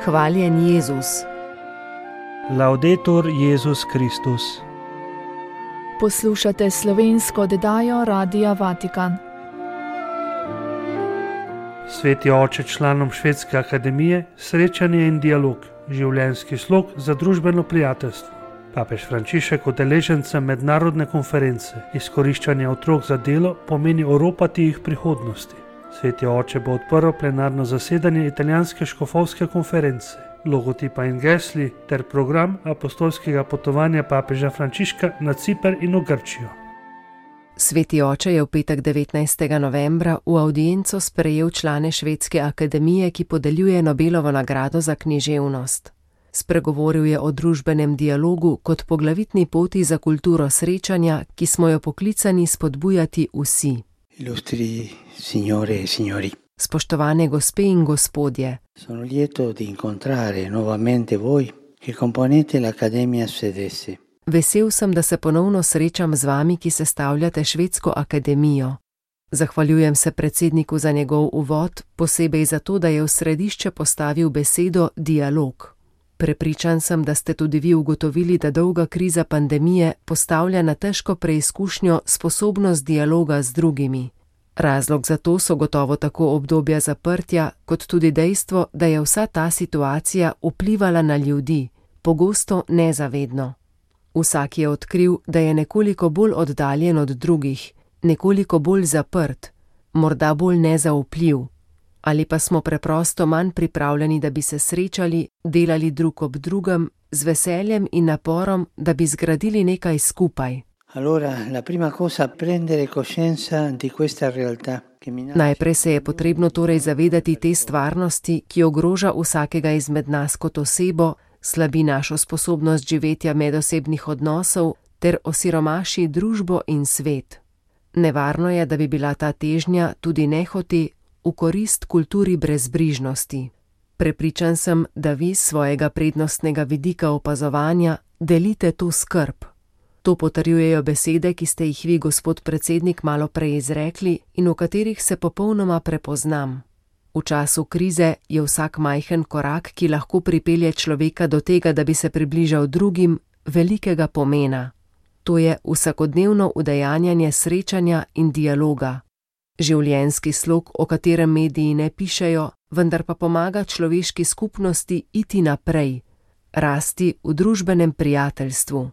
Hvaljen Jezus. Laudetur Jezus Kristus. Poslušate slovensko oddajo Radia Vatikan. Sveti oče članom Švedske akademije, srečanje in dialog, življenjski slog za družbeno prijateljstvo. Papež Frančišek udeležencem mednarodne konference Izkoriščanje otrok za delo pomeni oropati jih prihodnosti. Sveti oče bo odprl plenarno zasedanje italijanske škofovske konference, logotipa in gesli ter program apostolskega potovanja papeža Frančiška na Ciper in v Grčijo. Sveti oče je v petek 19. novembra v avdienco sprejel člane Švedske akademije, ki podeljuje Nobelovo nagrado za književnost. Spregovoril je o družbenem dialogu kot poglavitni poti za kulturo srečanja, ki smo jo poklicani spodbujati vsi. Illustri signore e signori. Spoštovane gospe in gospodje, Sono lieto di incontrare nuovamente voi che componete l'Accademia Svedese. vesel sem, da se ponovno srečam z vami, ki sestavljate Švedsko akademijo. Zahvaljujem se predsedniku za njegov uvod, posebej zato, da je v središče postavil besedo dialog. Prepričan sem, da ste tudi vi ugotovili, da dolga kriza pandemije postavlja na težko preizkušnjo sposobnost dialoga z drugimi. Razlog za to so gotovo tako obdobja zaprtja, kot tudi dejstvo, da je vsa ta situacija vplivala na ljudi, pogosto nezavedno. Vsak je odkril, da je nekoliko bolj oddaljen od drugih, nekoliko bolj zaprt, morda bolj nezaupljiv. Ali pa smo preprosto manj pripravljeni, da bi se srečali, delali drug ob drugem, z veseljem in naporom, da bi zgradili nekaj skupaj. Allora, la prima cosa è prendere coscienza di questa realtà che minaccia. Najprej se je potrebno torej zavedati te stvarnosti, ki ogroža vsakega izmed nas kot osebo, slabi našo sposobnost živetja medosebnih odnosov ter osiromaši družbo in svet. Nevarno je, da bi bila ta težnja tudi nehote v korist kulturi brezbrižnosti. Prepričan sem, da vi s svojega prednostnega vidika opazovanja delite to skrb. To potrjujejo besede, ki ste jih vi, gospod predsednik, malo prej izrekli in v katerih se popolnoma prepoznam. V času krize je vsak majhen korak, ki lahko pripelje človeka do tega, da bi se približal drugim, velikega pomena. To je vsakodnevno udejanjanje srečanja in dialoga. Življenjski slog, o katerem mediji ne pišejo, vendar pa pomaga človeški skupnosti iti naprej, rasti v družbenem prijateljstvu.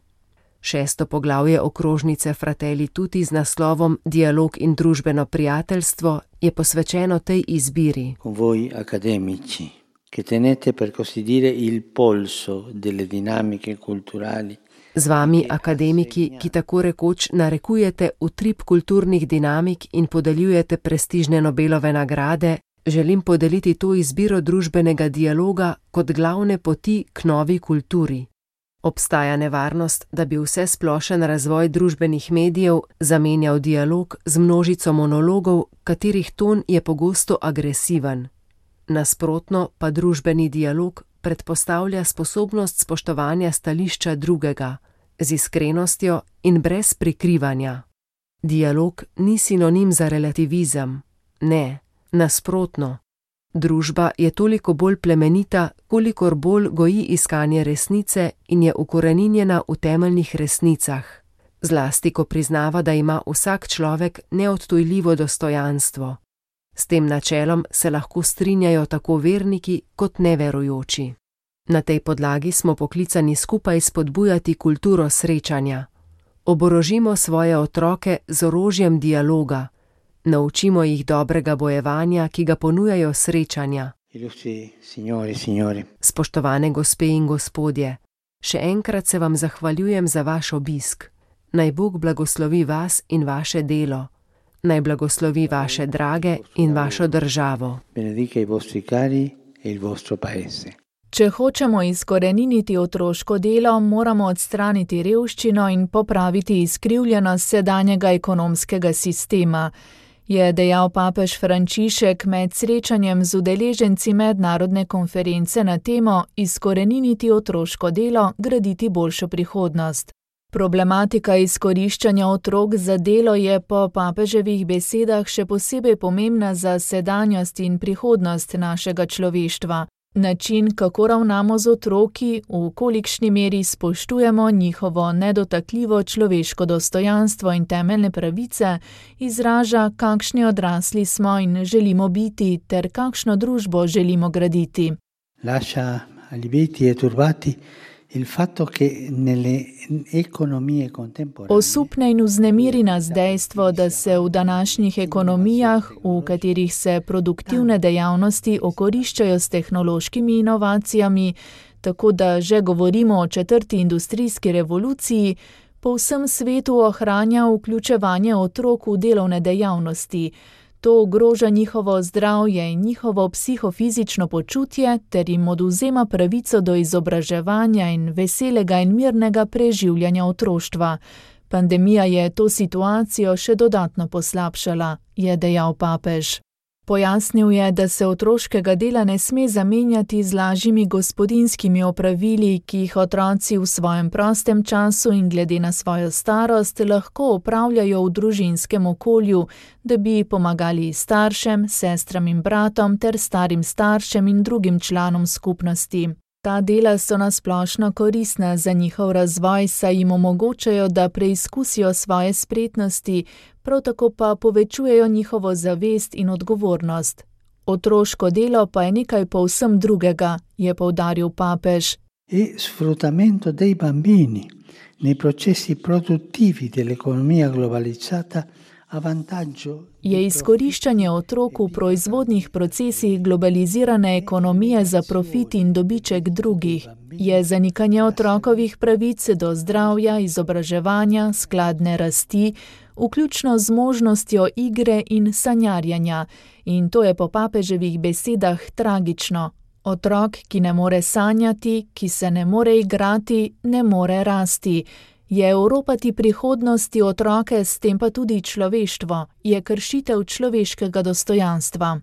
6. poglavje okrožnice Fratelli Tutti z naslovom Dialog in družbeno prijateljstvo je posvečeno tej izbiri. Con voi accademici, che tenete per così dire il polso delle dinamiche culturali. Z vami, akademiki, ki tako rekoč narekujete utrip kulturnih dinamik in podeljujete prestižne Nobelove nagrade, želim podeliti to izbiro družbenega dialoga kot glavne poti k novi kulturi. Obstaja nevarnost, da bi vse splošen razvoj družbenih medijev zamenjal dialog z množico monologov, katerih ton je pogosto agresiven. Nasprotno pa družbeni dialog predpostavlja sposobnost spoštovanja stališča drugega, z iskrenostjo in brez prikrivanja. Dialog ni sinonim za relativizem. Ne, nasprotno. Družba je toliko bolj plemenita, kolikor bolj goji iskanje resnice in je ukoreninjena v temeljnih resnicah. Zlasti, ko priznava, da ima vsak človek neodtujljivo dostojanstvo. S tem načelom se lahko strinjajo tako verniki kot neverujoči. Na tej podlagi smo poklicani skupaj spodbujati kulturo srečanja. Oborožimo svoje otroke z orožjem dialoga. Naučimo jih dobrega bojevanja, ki ga ponujajo srečanja. Illustri signore e signori. Spoštovane gospe in gospodje, še enkrat se vam zahvaljujem za vaš obisk. Naj Bog blagoslovi vas in vaše delo. Naj blagoslovi vaše drage in vašo državo. Benedica i vostri cari e il vostro paese. Če hočemo izkoreniniti otroško delo, moramo odstraniti revščino in popraviti izkrivljenost sedanjega ekonomskega sistema, je dejal papež Frančišek med srečanjem z udeleženci mednarodne konference na temo Izkoreniniti otroško delo, graditi boljšo prihodnost. Problematika izkoriščanja otrok za delo je po papeževih besedah še posebej pomembna za sedanjost in prihodnost našega človeštva. Način, kako ravnamo z otroki, v kolikšni meri spoštujemo njihovo nedotakljivo človeško dostojanstvo in temeljne pravice, izraža, kakšni odrasli smo in želimo biti ter kakšno družbo želimo graditi. Lascia allibiti e turbati il fatto che nelle economie contemporanee Osupne in vznemiri nas dejstvo, da se v današnjih ekonomijah, v katerih se produktivne dejavnosti okoriščajo s tehnološkimi inovacijami, tako da že govorimo o 4. industrijski revoluciji, po vsem svetu ohranja vključevanje otrok v delovne dejavnosti. To ogroža njihovo zdravje in njihovo psihofizično počutje ter jim odvzema pravico do izobraževanja in veselega in mirnega preživljanja otroštva. Pandemija je to situacijo še dodatno poslabšala, je dejal papež. Pojasnil je, da se otroškega dela ne sme zamenjati z lažjimi gospodinjskimi opravili, ki jih otroci v svojem prostem času in glede na svojo starost lahko opravljajo v družinskem okolju, da bi pomagali staršem, sestram in bratom ter starim staršem in drugim članom skupnosti. Ta dela so nasplošno koristna za njihov razvoj, saj jim omogočajo, da preizkusijo svoje spretnosti, prav tako pa povečujejo njihovo zavest in odgovornost. Otroško delo pa je nekaj povsem drugega, je poudaril papež. E sfruttamento dei bambini nei processi produttivi dell'economia globalizzata a vantaggio Je izkoriščanje otrok v proizvodnih procesih globalizirane ekonomije za profit in dobiček drugih. Je zanikanje otrokovih pravic do zdravja, izobraževanja, skladne rasti, vključno z možnostjo igre in sanjarjanja. In to je po papeževih besedah tragično. Otrok, ki ne more sanjati, ki se ne more igrati, ne more rasti. Je oropati prihodnosti otroke, s tem pa tudi človeštvo, je kršitev človeškega dostojanstva.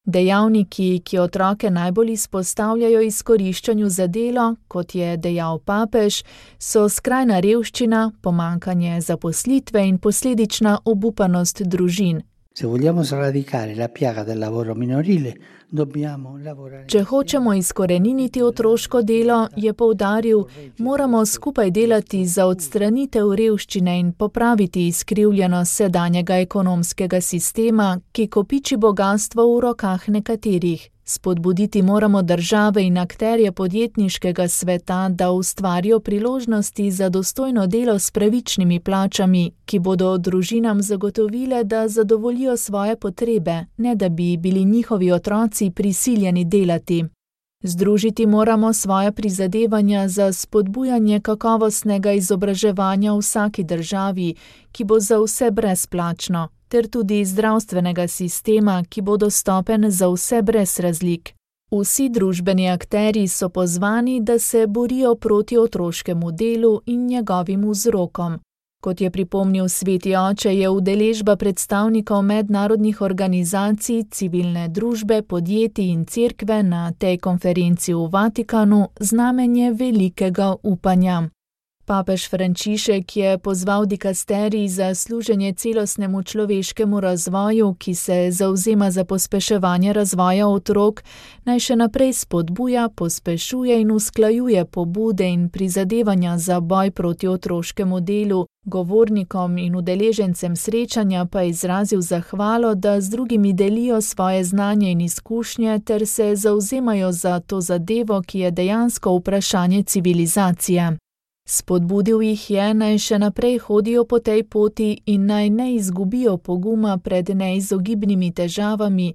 Dejavniki, ki otroke najbolj izpostavljajo izkoriščanju za delo, kot je dejal papež, so skrajna revščina, pomanjkanje zaposlitve in posledična obupanost družin. Se vogliamo sradicare la piaga del lavoro minorile, dobbiamo lavorare. Če hočemo izkoreniniti otroško delo, je poudaril, moramo skupaj delati za odstranitev revščine in popraviti izkrivljenost sedanjega ekonomskega sistema, ki kopiči bogastvo v rokah nekaterih. Spodbuditi moramo države in akterje podjetniškega sveta, da ustvarijo priložnosti za dostojno delo s pravičnimi plačami, ki bodo družinam zagotovile, da zadovoljijo svoje potrebe, ne da bi bili njihovi otroci prisiljeni delati. Združiti moramo svoje prizadevanja za spodbujanje kakovostnega izobraževanja v vsaki državi, ki bo za vse brezplačno, ter tudi zdravstvenega sistema, ki bo dostopen za vse brez razlik. Vsi družbeni akterji so pozvani, da se borijo proti otroškemu delu in njegovim vzrokom. Kot je pripomnil Sveti oče, je udeležba predstavnikov mednarodnih organizacij, civilne družbe, podjetij in cerkve na tej konferenci v Vatikanu znamenje velikega upanja. Papež Frančišek je pozval dikasterij za služenje celostnemu človeškemu razvoju, ki se zavzema za pospeševanje razvoja otrok, naj še naprej spodbuja, pospešuje in usklajuje pobude in prizadevanja za boj proti otroškemu delu. Govornikom in udeležencem srečanja pa je izrazil zahvalo, da z drugimi delijo svoje znanje in izkušnje ter se zavzemajo za to zadevo, ki je dejansko vprašanje civilizacije. Spodbudil jih je, naj še naprej hodijo po tej poti in naj ne izgubijo poguma pred neizogibnimi težavami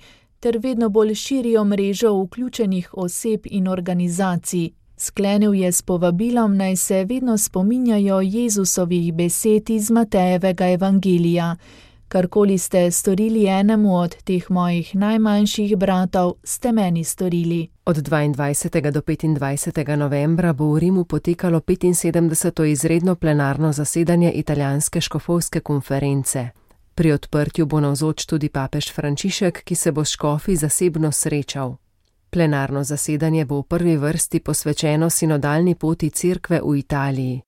ter vedno bolj širijo mrežo vključenih oseb in organizacij. Sklenil je s povabilom, naj se vedno spominjajo Jezusovih besed iz Matejevega evangelija. Karkoli ste storili enemu od teh mojih najmanjših bratov, ste meni storili. Od 22. do 25. novembra bo v Rimu potekalo 75. izredno plenarno zasedanje italijanske škofovske konference. Pri odprtju bo navzoč tudi papež Frančišek, ki se bo s škofi zasebno srečal. Plenarno zasedanje bo v prvi vrsti posvečeno sinodalni poti cerkve v Italiji.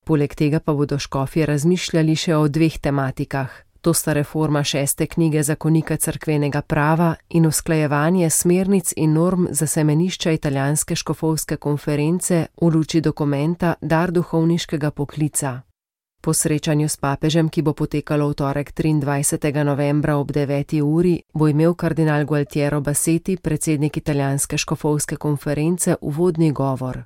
Poleg tega pa bodo škofje razmišljali še o dveh tematikah. To sta reforma 6. knjige zakonika cerkvenega prava in usklajevanje smernic in norm za semenišča italijanske škofovske konference v luči dokumenta Dar duhovniškega poklica. Po srečanju s papežem, ki bo potekalo v torek 23. novembra ob 9. uri, bo imel kardinal Gualtiero Bassetti, predsednik italijanske škofovske konference, uvodni govor.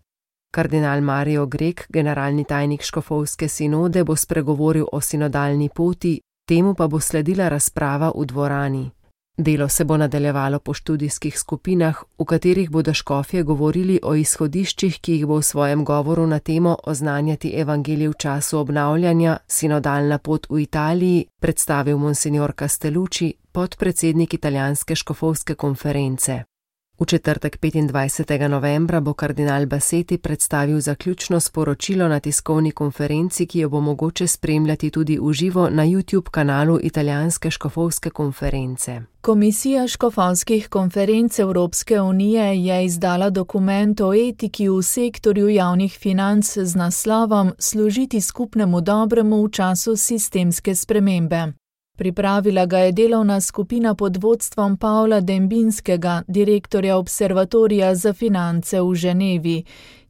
Kardinal Mario Grek, generalni tajnik škofovske sinode, bo spregovoril o sinodalni poti, temu pa bo sledila razprava v dvorani. Delo se bo nadaljevalo po študijskih skupinah, v katerih bodo škofje govorili o izhodiščih, ki jih bo v svojem govoru na temo Oznanjati evangelij v času obnavljanja, sinodalna pot v Italiji, predstavil monsignor Castellucci, podpredsednik italijanske škofovske konference. V četrtek 25. novembra bo kardinal Bassetti predstavil zaključno sporočilo na tiskovni konferenci, ki jo bo mogoče spremljati tudi v živo na YouTube kanalu italijanske škofovske konference. Komisija škofovskih konferenc Evropske unije je izdala dokument o etiki v sektorju javnih financ z naslovom Služiti skupnemu dobremu v času sistemske spremembe. Pripravila ga je delovna skupina pod vodstvom Pavla Dembinskega, direktorja Observatorija za finance v Ženevi.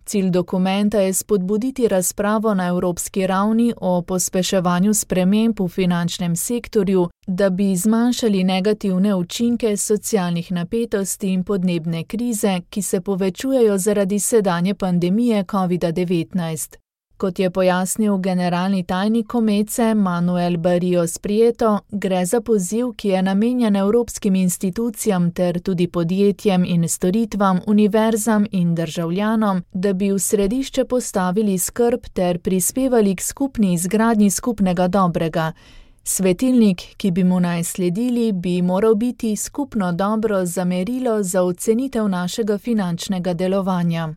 Cilj dokumenta je spodbuditi razpravo na evropski ravni o pospeševanju sprememb v finančnem sektorju, da bi zmanjšali negativne učinke socialnih napetosti in podnebne krize, ki se povečujejo zaradi sedanje pandemije COVID-19. Kot je pojasnil generalni tajnik Komece Manuel Barrios Prieto, gre za poziv, ki je namenjen evropskim institucijam ter tudi podjetjem in storitvam, univerzam in državljanom, da bi v središče postavili skrb ter prispevali k skupni izgradnji skupnega dobrega. Svetilnik, ki bi mu naj sledili, bi moral biti skupno dobro za merilo za ocenitev našega finančnega delovanja.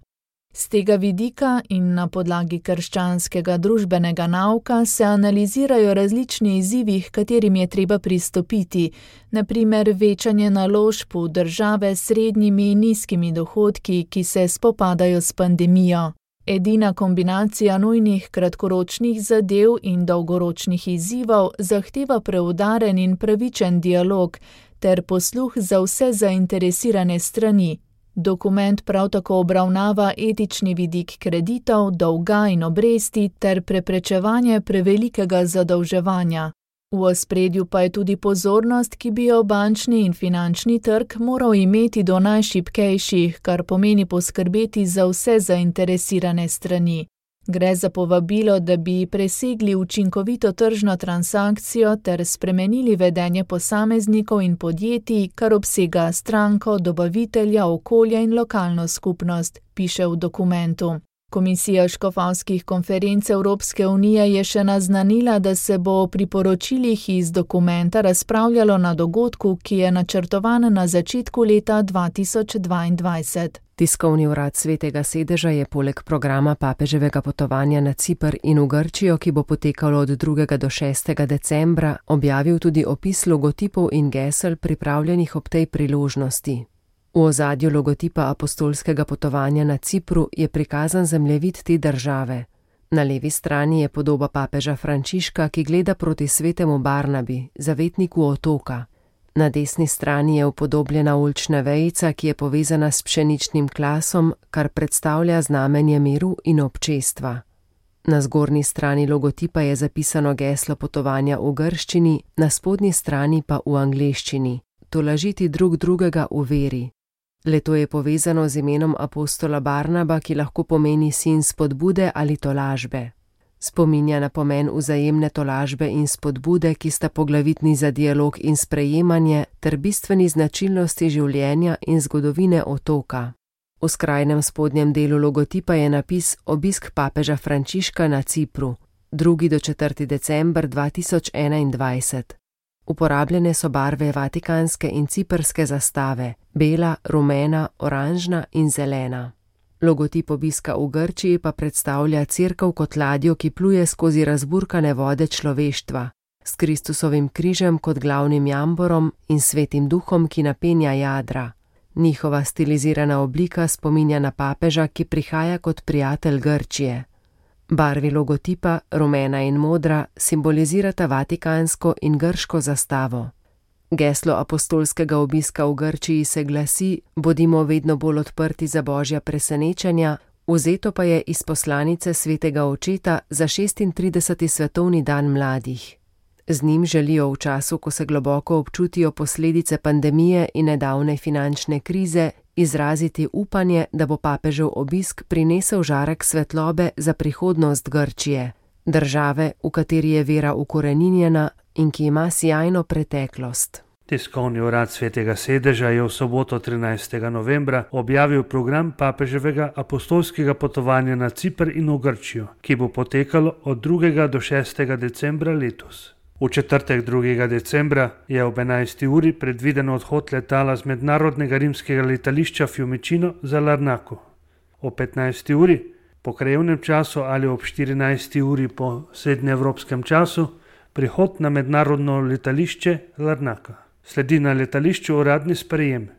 Z tega vidika in na podlagi krščanskega družbenega nauka se analizirajo različni izzivi, h katerim je treba pristopiti, na primer večanje naložb v države s srednjimi in nizkimi dohodki, ki se spopadajo s pandemijo. Edina kombinacija nujnih kratkoročnih zadev in dolgoročnih izzivov zahteva preudaren in pravičen dialog ter posluh za vse zainteresirane strani. Dokument prav tako obravnava etični vidik kreditov, dolga in obresti ter preprečevanje prevelikega zadolževanja. V ospredju pa je tudi pozornost, ki bi jo bančni in finančni trg moral imeti do najšibkejših, kar pomeni poskrbeti za vse zainteresirane strani. Gre za povabilo, da bi presegli učinkovito tržno transakcijo ter spremenili vedenje posameznikov in podjetij, kar obsega stranko, dobavitelja, okolje in lokalno skupnost, piše v dokumentu. Komisija škofovskih konferenc Evropske unije je še naznanila, da se bo o priporočilih iz dokumenta razpravljalo na dogodku, ki je načrtovan na začetku leta 2022. Tiskovni urad Svetega sedeža je poleg programa papeževega potovanja na Ciper in v Grčijo, ki bo potekalo od 2. do 6. decembra, objavil tudi opis logotipov in gesel pripravljenih ob tej priložnosti. V ozadju logotipa apostolskega potovanja na Cipru je prikazan zemljevid te države. Na levi strani je podoba papeža Frančiška, ki gleda proti svetemu Barnabi, zavetniku otoka. Na desni strani je upodobljena oljčna vejica, ki je povezana s pšeničnim klasom, kar predstavlja znamenje miru in občestva. Na zgornji strani logotipa je zapisano geslo potovanja v grščini, na spodnji strani pa v angleščini: tolažiti drug drugega v veri. Le-to je povezano z imenom apostola Barnaba, ki lahko pomeni sin spodbude ali tolažbe. Spominja na pomen vzajemne tolažbe in spodbude, ki sta poglavitni za dialog in sprejemanje ter bistveni značilnosti življenja in zgodovine otoka. V skrajnem spodnjem delu logotipa je napis Obisk papeža Frančiška na Cipru, 2. do 4. december 2021. Uporabljene so barve vatikanske in ciprske zastave, bela, rumena, oranžna in zelena. Logotip obiska v Grčiji pa predstavlja cerkev kot ladjo, ki pluje skozi razburkane vode človeštva, s Kristusovim križem kot glavnim jamborom in svetim duhom, ki napenja jadra. Njihova stilizirana oblika spominja na papeža, ki prihaja kot prijatelj Grčije. Barvi logotipa, rumena in modra, simbolizirata vatikansko in grško zastavo. Geslo apostolskega obiska v Grčiji se glasi: bodimo vedno bolj odprti za božja presenečenja, vzeto pa je iz poslanice svetega očeta za 36. svetovni dan mladih. Z njim želijo v času, ko se globoko občutijo posledice pandemije in nedavne finančne krize, izraziti upanje, da bo papežev obisk prinesel žarek svetlobe za prihodnost Grčije, države, v kateri je vera ukoreninjena in ki ima sijajno preteklost. Tiskovni urad Svetega sedeža je v soboto 13. novembra objavil program papeževega apostolskega potovanja na Ciper in v Grčijo, ki bo potekalo od 2. do 6. decembra letos. V četrtek 2. decembra je ob 11. uri predviden odhod letala z mednarodnega rimskega letališča Fiumicino za Larnaco. Ob 15. uri po krajevnem času ali ob 14. uri po srednjeevropskem času prihod na mednarodno letališče Larnaca. Sledi na letališču uradni sprejem.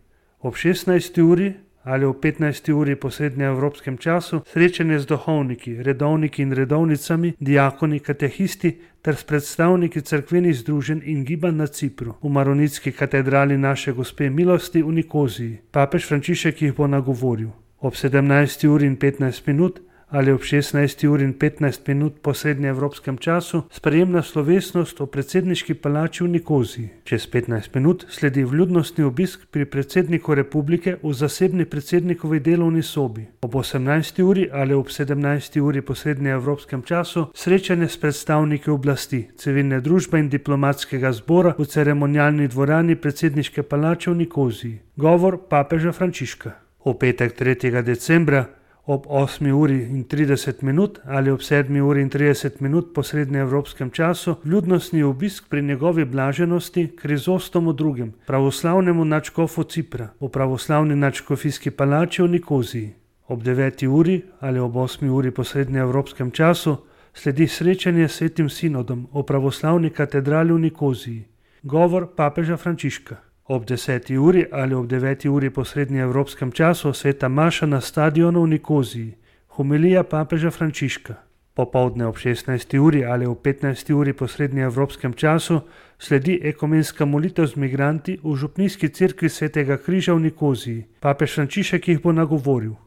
Ob 16. uri ali ob 15. uri po srednjeevropskem času srečanje z duhovniki, redovniki in redovnicami, diakoni, katehisti ter s predstavniki cerkvenih združenj in gibanj na Cipru, v Maronitski katedrali Naše Gospe milosti v Nikoziji. Papež Frančišek jih bo nagovoril. Ob 17. uri in 15 minut ali ob 16. uri in 15 minut po srednjeevropskem času sprejemna slovesnost v predsedniški palači v Nikoziji. Čez 15 minut sledi vljudnostni obisk pri predsedniku republike v zasebni predsednikovi delovni sobi. Ob 18. uri ali ob 17. uri po srednjeevropskem času srečanje s predstavniki oblasti, civilne družbe in diplomatskega zbora v ceremonialni dvorani predsedniške palače v Nikoziji. Govor papeža Frančiška. V petek 3. decembra ob 8. uri in 30 minut ali ob 7. uri in 30 minut po srednjeevropskem času vljudnostni obisk pri njegovi blaženosti Krizostomu II., pravoslavnemu nadškofu Cipra, v pravoslavni nadškofijski palači v Nikoziji. Ob 9. uri ali ob 8. uri po srednjeevropskem času sledi srečanje s Svetim sinodom v pravoslavni katedrali v Nikoziji. Govor papeža Frančiška. Ob 10. uri ali ob 9. uri po srednjeevropskem času sveta maša na stadionu v Nikoziji. Homilija papeža Frančiška. Popoldne ob 16. uri ali ob 15. uri po srednjeevropskem času sledi ekumenska molitev z migranti v župnijski cerkvi Svetega križa v Nikoziji. Papež Frančišek jih bo nagovoril.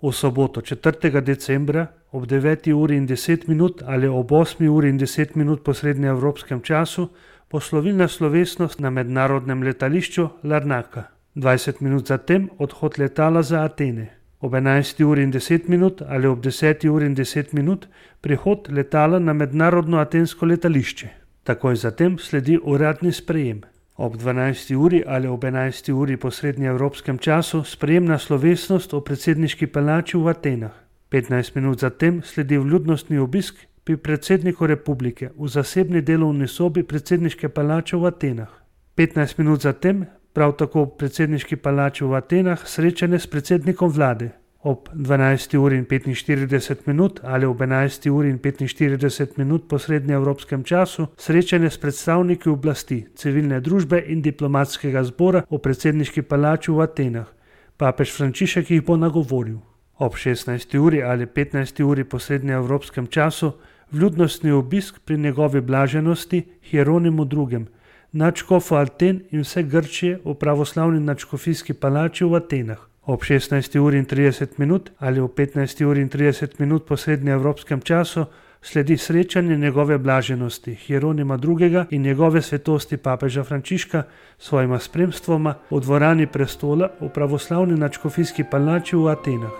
V soboto 4. decembra ob 9. uri in 10 minut ali ob 8. uri in 10 minut po srednjeevropskem času poslovilna slovesnost na mednarodnem letališču Larnaca. 20 minut zatem odhod letala za Atene. Ob 11. uri in 10 minut ali ob 10. uri in 10 minut prihod letala na mednarodno atensko letališče. Takoj zatem sledi uradni sprejem. Ob 12. uri ali ob 11. uri po srednjeevropskem času sprejemna slovesnost v predsedniški palači v Atenah. 15 minut zatem sledi vljudnostni obisk pri predsedniku republike v zasebni delovni sobi predsedniške palače v Atenah. 15 minut zatem, prav tako v predsedniški palači v Atenah, srečanje s predsednikom vlade. Ob 12. uri in 45 minut ali ob 11. uri in 45 minut po srednjeevropskem času srečanje s predstavniki oblasti, civilne družbe in diplomatskega zbora v predsedniški palači v Atenah. Papež Frančišek jih bo nagovoril. Ob 16. uri ali 15. uri po srednjeevropskem času vljudnostni obisk pri njegovi blaženosti Hieronimu II., nadškofu Aten in vse Grčije v pravoslavni nadškofijski palači v Atenah. Ob 16. uri in 30 minut ali ob 15. uri in 30 minut po srednjeevropskem času sledi srečanje njegove blaženosti Hieronima II. In njegove svetosti papeža Frančiška s svojima spremstvoma v dvorani prestola v pravoslavni nadškofijski palači v Atenah.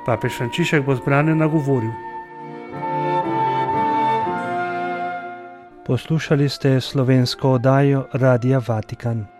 Papež Frančišek bo zbrane nagovoril. Poslušali ste slovensko oddajo Radia Vatikan.